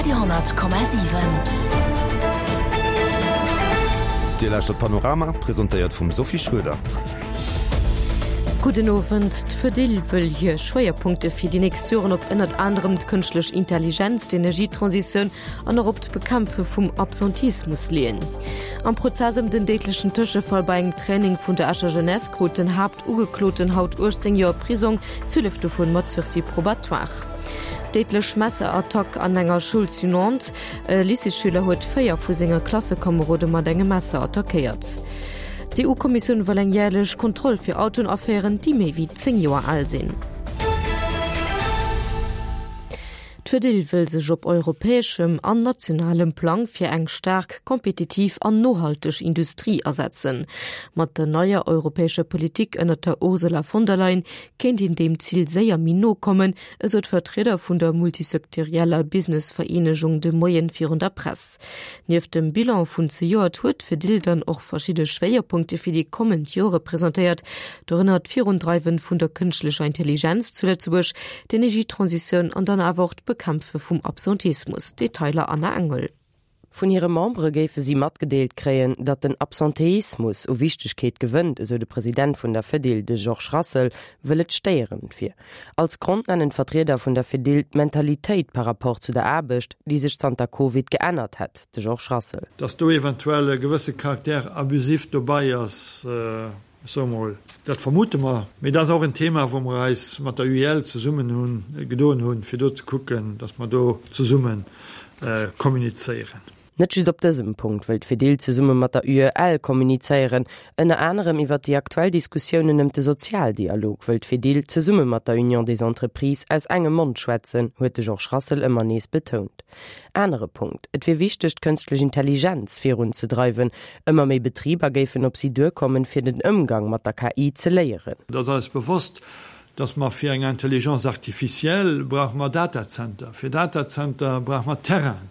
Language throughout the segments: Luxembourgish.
Radio,7. Dir lauschtert Panorama, presentéiert vum Sophie Schröder. Gudden Owend. D'Fedil wëll hir Schwéierpunkte fir déi nächst Joren op ënnert anerem d'kënschtlech Intelligenz, d'Energietransitioun an och op d'Bekämpfe vum Absentismus leeën. Am Prozess ëm den déidlechen Tëschefall bei engem Training vun der Escher Jeunesse krut den Haaptugekloten haut 18 Joer Prisong, 12 dovun mat Sursis probatoire. Déidlech Messerattack an enger Schoul zu Nantes, E Lycéesschüler huet 4 vu senge Klassekomerode mat engem Messer attackéiert. D'EU-Kommissioun wëll eng järlech Kontroll fir Autoen aféieren, déi méi wéi 10 Joer al sinn. D'Fedil wëll sech op europäeschem an nationalem Plang fir eng staark, kompetitiv an nohalteg Industrie asetzen. Mat der neier europäescher Politik ënnert der Ursula von der Leyen kéint een deem Zil séier méi no kommen, esou d'Vertrieder vun der multisectorieller Businessvereenegung de Moien virun der Press. Nieft dem Bilan vun zejoert huet d'Fedil dann och verschidde Schwéierpunkte fir déi kommend Jore presentéiert, dorënner d'Virundreiwen vun der kënschtlecher Intelligenz zu Lëtzebuerg, d'Energietransitioun an dann awer och d'Bekämpfe vum Absenteismus. Detailer Anna Engel. Vun hire Membere géife si matgedeelt kréien, datt den Absenteismus u Wichtegkeet gewënnt, esou de President vun der Fedil, de Georges Rassel, wëll et stéierend wier. Als Grond nennen d'Vertrieder vun der Fedil d'Mentalitéit par rapport zu der Aarbecht, déi sech zanter Covid geännert hätt. De Georges Rassel. Datt do eventuell e gewësse Caractère abusif dobei ass, ech soe mol, dat vermute mer. Mee dat ass och en Thema, wou mer eis mat der UEL zesummen hunn gedoen hunn, fir do ze kucken, datt mer do zesumme kommunizéieren. Net just op dësem Punkt wëll d'Fedil zesumme mat der UEL kommunizéieren. Ënner anerem iwwer déi aktuell Diskussiounen ëm de Sozialdialog wëll d'Fedil zesumme mat der Union des Entreprises aus engem Mond schwätzen, huet de Georges Rassel ëmmer nees betount. Anere Punkt, Et wier wichteg, d'kënstlech Intelligenz virunzedreiwen. Ëmmer méi Betriber géifen op si duerkommen, fir den Ëmgang mat der KI ze léieren. Et ass eis bewosst, dass mer fir eng Intelligence artificielle brauche mer Datacenter, fir Datacenter brauche mer Terrainen,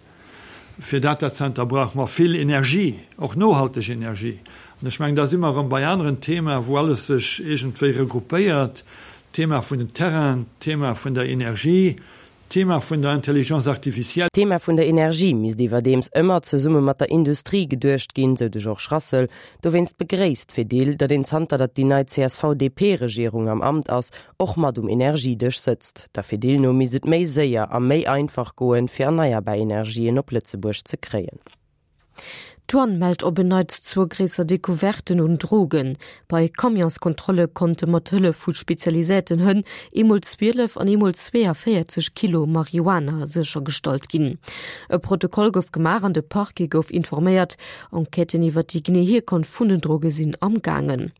fir Datacenter brauche mer vill Energie, och nohalteg Energie. An ech mengen, da si mer erëm bei aneren Themaen, wou alles sech iergendwéi regruppéiert, d'Thema vun den Terrainen, d'Thema vun der Energie, D'Thema vun der Intelligence artificielle. D'Thema vun der Energie misst iwwerdeems ëmmer zesumme mat der Industrie geduecht ginn, sou de Georges Rassel. Dowéinst begréisst d'Fedil, datt een zanter datt déi nei CSV-DP-Regierung am Amt ass, och mat um Energiedësch sëtzt. Der Fedil no misst et méi séier a méi einfach goen, fir erneierbar Energien op Lëtzebuerg ze kréien. D'Douane mellt op en Neits zwou gréisser Decouverten un Drogen. Bei Camionskontrolle konnte mat Hëllef vu spezialiséierten Hënn eemol 12 an eemol 42 Kilo Marihuana séchergestallt ginn. E Protokoll gouf gemaach an de Parquet gouf informéiert. Enquêten iwwer déi genee Hierkonft vun den Droge sinn am gaangen.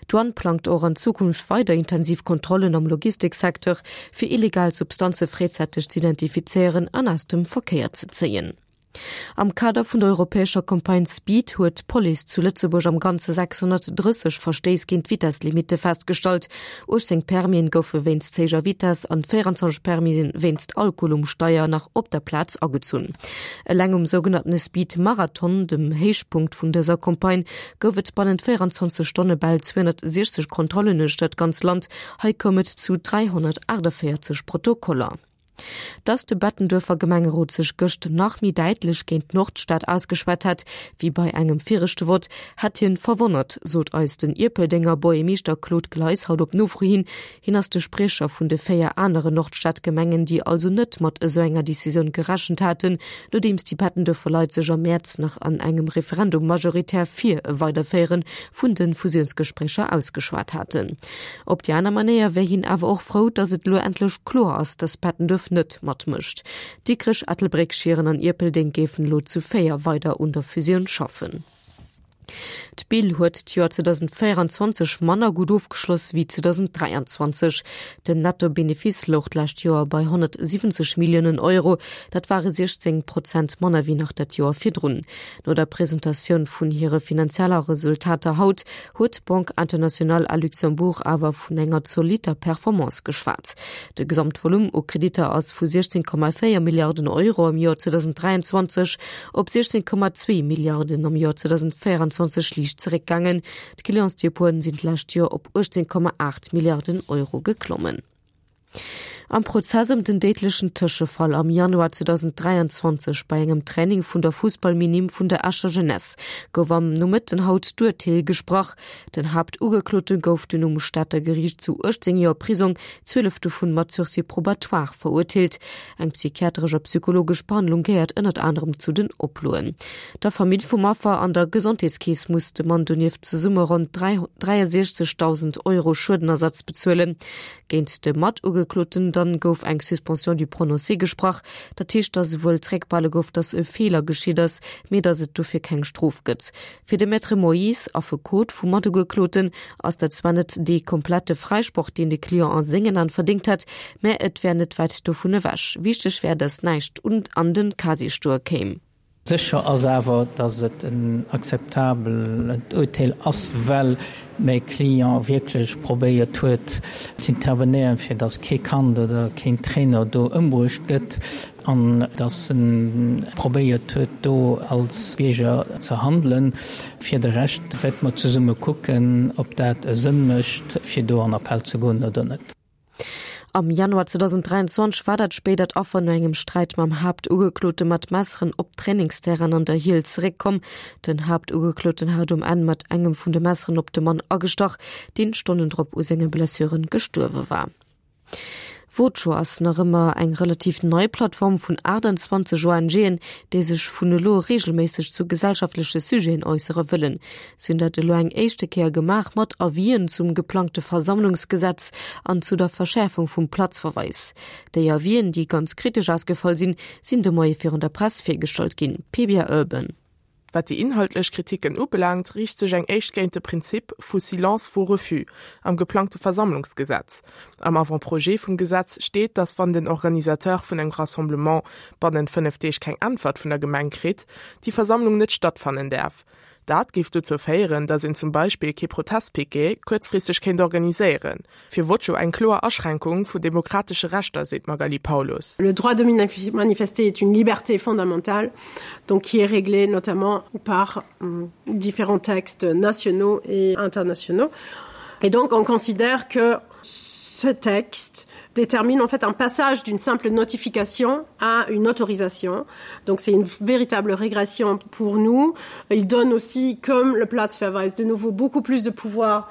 D'Douane plangt och an Zukunft weider intensiv Kontrollen am Logistiksecteur, fir illegal Substanze fréizäiteg z'identifizéieren an aus dem Verkéier ze zéien. Am Kader vun der europäescher Campagne Speed huet d'Police zu Lëtzebuerg am Ganze 630 Verstéiss géint d'Vitesslimitte festgestallt. 18 Permisen goufe wéinst ze héijer Vitess an 24 Permisen wéinst Alkohol um Steier nach op der Plaz agezunn. Eleng um sougenannte Speed Marathon, dem Héichpunkt vun dëser Campagne, gouf et bannent 24 Stonne bal 260 Kontrollen uechter d'ganz Land. Hei koum et zu 348 Protokoller. Dass de Bettenduerfer Gemengerot sech gëscht nach méi däitlech géint d'Nordstad ausgeschwat hätt, wéi bei engem viregte Vott, hätt hien verwonnert, sot eis den Ierpeldenger Buergermeeschter Claude Gleis haut op Nofro hin. Hien ass de Spriecher vun de 4 anere Nordstadgemengen, déi also net mat esou enger Decisioun gerechent haten, nodeems déi Bettenduerfer Leit sech am Mäerz nach an engem Referendum majoritär fir e Weiderféiere vun de Fusiounsgespréicher ausgeschwat haten. Op déi aner Manéier wär hien awer och frou, datt et elo endlech kloer ass, datt Bettenduerf net matmécht. Dikrech, Ettelbréck, Schieren an Ierpeldeng géifen elo zu 4 weider un der Fusioun schaffen. D'Bill huet d'Joer 2024 manner gutt ofgeschloss wéi 2023. Den Netto-Benefice louch d'lescht Joer bei 170 Milliounen Euro, dat ware 16 Prozent manner wéi nach dat Joer virdrun. No der Presentatioun vun hire finanzieller Resultater haut huet d'Banque Internationale à Luxembourg awer vun enger zolitter Performance geschwat. De Gesamtvolume u Kreditter ass vu 16,4 Milliarden Euro am Joer 2023 op 16,2 Milliarden am Joer 2024 liicht zeréckgaangen. D'Clientsdepoten sinn d'lescht Joer op 18,8 Milliarden Euro geklommen. Am Prozess ëm den déidlechen Tëschefall am Januar 2023 bei engem Training vun der Fussballminim vun der Escher Jeunesse gouf am Nomëtten haut d'Urteel gesprach. Den Haaptugeklote gouf dunn um Stater Geriicht zu 18 Joer Prisong, 12 dovun mat Sursis probatoire, verurteelt. Eng psychiatresch a psychologesch Behandlung gehéiert ënnert anerem zu den Oploen. Der Famill vum Affer an der Gesondheetskeess muss de Mann donieft zesumme ronn 63.000 Euro Schuedenersatz bezuelen. Géint de Matugekloten dann gouf eng Suspension du prononcé gesprach. Dat heescht, datt esouwuel zréckbehale gouf, datt e Feeler geschitt ass, mee datt et dofir keng Strof gëtt. Fir de Maître Moyse, Affekot vum Matugekloten, ass dat zwar net dee komplette Fräisproch, deen de Client a sengen An verdéngt hätt, mä et wär net wäit dovun ewech. Wichteg wär, datt näischt an de Casier stoe kéim. Sécher ass awer, datt et en akzeptabelt Urteel ass, well mäi Client wierklech probéiert huet z'intervenéieren, fir datt kee Kand oder keen Trainer do ëmbruecht gëtt an datt en probéiert huet, do als Bierger ze handelen. Fir de Rescht wäerte mer zesumme kucken, ob dat e Sënn mécht, fir do an Appell ze goen oder net. Am Januar 2023 war dat spéidert Affer no engem Sträit mam Haaptugeklote mat Messeren op d'Trainingsterrain an der Hiel zeréckkomm. Den Haaptugekloten hat um Enn mat engem vun de Messeren op de Mann agestach, deen Stonnen drop u senge Blessuren gestuerwe war. Vocho ass nach ëmmer eng relativ nei Plattform vun 28 ONGen, déi sech vun elo reegelméisseg zu gesellschaftleche Sujeten äussere wëllen. Si hunn dat elo eng éischte Kéier gemaach mat Avisen zum geplangte Versammlungsgesetz an zu der Verschäerfung vum Platzverweis. Déi Avisen, déi ganz kritesch ausgefall sinn, sinn de Moie virun der Press virgestallt ginn. Pebia Urban. Wat déi inhaltlech Kriticken ubelaangt, riicht sech eng éischt géint de Prinzip vu Silence vaut refus am geplangte Versammlungsgesetz. Am Avant-projet vum Gesetz steet, datt wann den Organisateur vun engem Rassemblement bannent 5 Deeg keng Äntwert vun der Gemeng kritt, déi Versammlung net stattfannen däerf. Dat géif dozou féieren, datt een zum Beispill kee Protestpiquet kuerzfristeg kéint organiséieren. Fir Vocho eng kloer Aschränkung vu demokratesche Rechter, seet d'Magali Paulus. Le droit de manifester est une liberté fondamentale, donc qui est réglée notamment par différents textes nationaux et internationaux. Et donc on considère que ce texte détermine en fait un passage d'une simple notification à une autorisation. Donc c'est une véritable régression pour nous. Il donne aussi, comme le Platzverweis, de nouveau beaucoup plus de pouvoir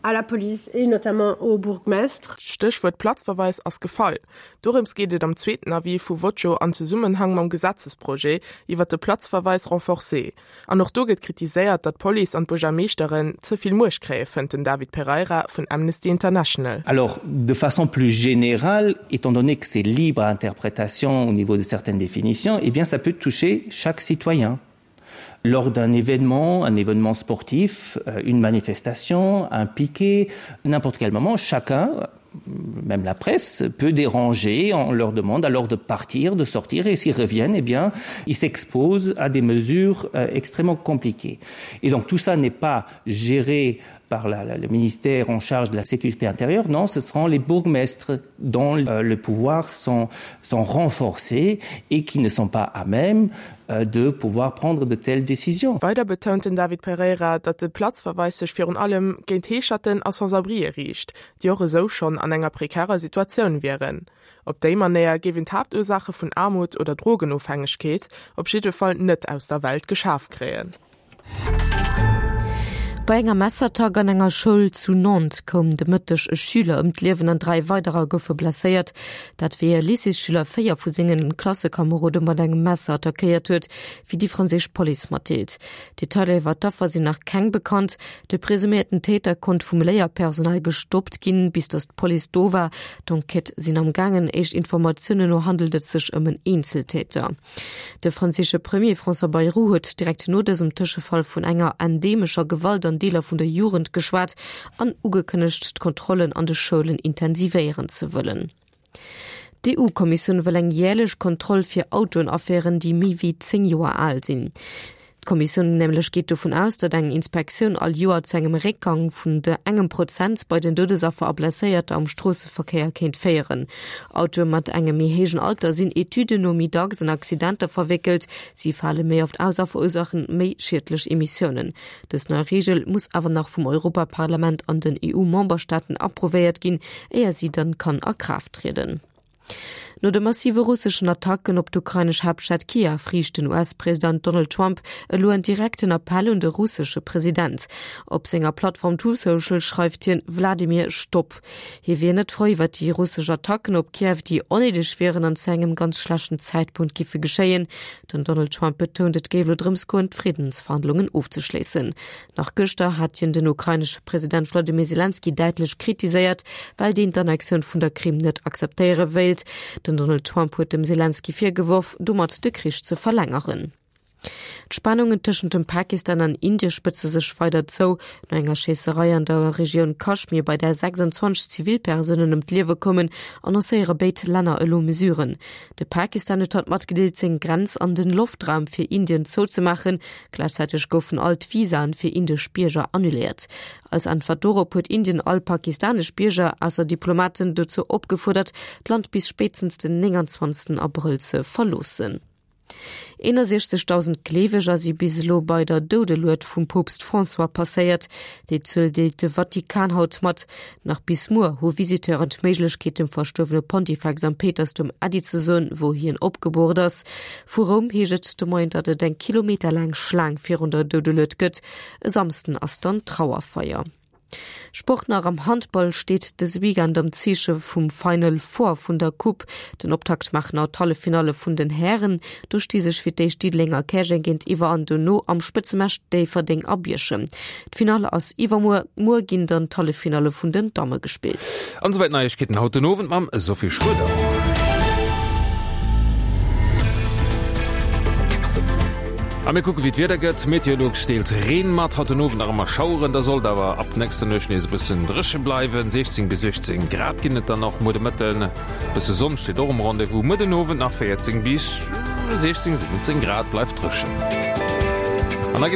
à la police et notamment au bourgmestre. D'Stéchwuert Platzverweis ass gefall. Dorëms geet et am zweeten Avis vu Vocho an Zesummenhang mam Gesetzesprojet iwwer de Platzverweis renforcé. An och do gëtt kritiséiert, datt d'Police an d'Buergermeeschteren ze vill Muecht kréie, fënnt den David Pereira vun Amnesty International. Alors, de façon plus générale, étant donné que c'est libre à interprétation au niveau de certaines définitions, eh bien ça peut toucher chaque citoyen. Lors d'un événement, un événement sportif, euh, une manifestation, un piquet, n'importe quel moment, chacun, même la presse peut déranger, on leur demande alors de partir, de sortir et s'ils reviennent, eh bien ils s'exposent à des mesures euh, extrêmement compliquées. Et donc tout ça n'est pas géré par la, la, le ministère en charge de la sécurité intérieure, non, ce seront les bourgmestres dont euh, le pouvoir sont, sont renforcés et qui ne sont pas à même euh, de pouvoir prendre de telles décisions. Weider betount den David Pereira, datt de Platzverweis sech virun allem géint Heescherten a Sans-abrien riicht, déi och esou schonn an enger prekärer Situatioun wieren. Op déi Manéier géif een d'Haaptursaache vun Aarmut oder Drogenofhängegkeet op jidde Fall net aus der Welt geschaf kréien. Bei enger Messerattack an enger Schoul zu Nantes koum de Mëtteg e Schüler ëm d'Liewen an 3 weiderer goufe blesséiert. Dat wéi e Lycéesschüler 4 vu sengen Klassekomerode mat engem Messer attackéiert huet, wéi déi franséisch Police matdeelt. Detailer iwwer d'Affer sinn nach keng bekannt. De presuméierten Täter konnt vum Léierpersonal gestoppt ginn, bis datt d'Police do war. D'Enquête sinn am gaangen. Éischt Informatiounen no handelt et sech ëm en Eenzeltäter. De franséische Premier François Bayrou huet direkt no dësem Tëschefall vun enger endemescher Gewalt an Deeler vun der Jugend geschwat an ugekënnegt, d'Kontrollen an de Schoulen intensivéieren ze wëllen. D'EU-Kommissioun wëll eng järlech Kontroll fir Autoen aféieren, déi méi wéi 10 Joer al sinn. D'Kommissioun nämlech geet dovun aus, datt eng Inspektioun all Joer zu engem Réckgang vun de engem Prozent bei den Doudesaffer a Blesséierter am Stroosseverkéier kéint féieren. Autoe mat engem méi héijen Alter sinn Etüden no méi dacks an Accidenter verwéckelt, si fale méi oft aus a verursaachen méi schiedlech Emissiounen. Dës nei Reegel muss awer nach vum Europaparlament an den EU-Memberstaaten approvéiert ginn, éier si dann kann a Kraaft trieden. No de massive russeschen Attacken op d'ukrainesch Haaptstad Kiew riicht den US-President Donald Trump elo en direkten Appell un de russesche President. Op senger Plattform Truth Social schreift hien, Wladimir, stopp! Hie wier net frou iwwer déi russesch Attacken op Kiew, déi onnéideg wieren an zu engem ganz schlechten Zäitpunkt giffe geschéien. Den Donald Trump betount, et géif elo drëms goen, d'Friddensverhandlungen ofzeschléissen. Nach gëschter hat hien den ukrainesche President Wladimir Selenskyj däitlech kritiséiert, well deen d'Annexioun vun der Krim net akzeptéiere wéilt. Den Donald Trump huet dem Selenskyj virgeworf, domat de Krich ze verlängeren. D'Spannungen tëschent dem Pakistan an Indie spëtze sech weider zou. No enger Schéisserei an der Regioun Kaschmir, bei där 26 Zivilpersounen ëm d'Liewe koumen, annoncéiere béid Länner elo Mesuren. De Pakistan huet haut matgedeelt, seng Grenz an den Loftraum fir Indien zouzemaachen. Gläichzäiteg goufen all d'Visaen fir indesch Bierger annuléiert. Als Äntwert dorop huet Indien all pakistanesch Bierger, ausser Diplomaten, dozou opgefuerdert, d'Land bis spéitstens den 29 Abrëll ze verloossen. 61.000 Gleeweger si bis elo bei der Doudelued vum Poopst François passéiert. Déi Zuel deelt de Vatikan haut mat. Nach bis muer hu Visiteuren d'Méiglechkeet dem verstuerwene Pontifex am Péitersdoum Äddi ze soen, wou hien opgeboort ass. Vu Roum heescht et de Moien, datt et eng kilometerlaang Schlaang virun der Doudelued gëtt. E Samsden ass dann d'Trauerfeier. Sport nach, Am Handball steet dëse Weekend am Zeeche vum Final Four vun der Coupe. Den Optakt maachen haut d'Halleffinalle vun den Hären. Do sti sech fir d'éischt Diddeleng a Käerjeng géintiwwer an dono am Spëtzematch Déifferdeng a Bierchem. D'Finall ass iwwermuer. Muer ginn dann d'Halleffinalle vun den Damme gespillt. An esouwäit d'Neiegkeeten haut den Owend mam Sophie Schroeder. A mir kucke wéi d'Wieder gëtt. Meteolux deelt Reen mat, haut den Owend nach ëmmer Schaueren, da sollt awer ab nächster Nuecht nees e bëssen dréche bleiwen. 16 bis 18 Grad ginn et dann och muer de Mëtten. Bësse Sonn steet och um Rendez-vous. Muer den Owend nach 14 bis 16, 17 Grad, bleift dréchen. An da.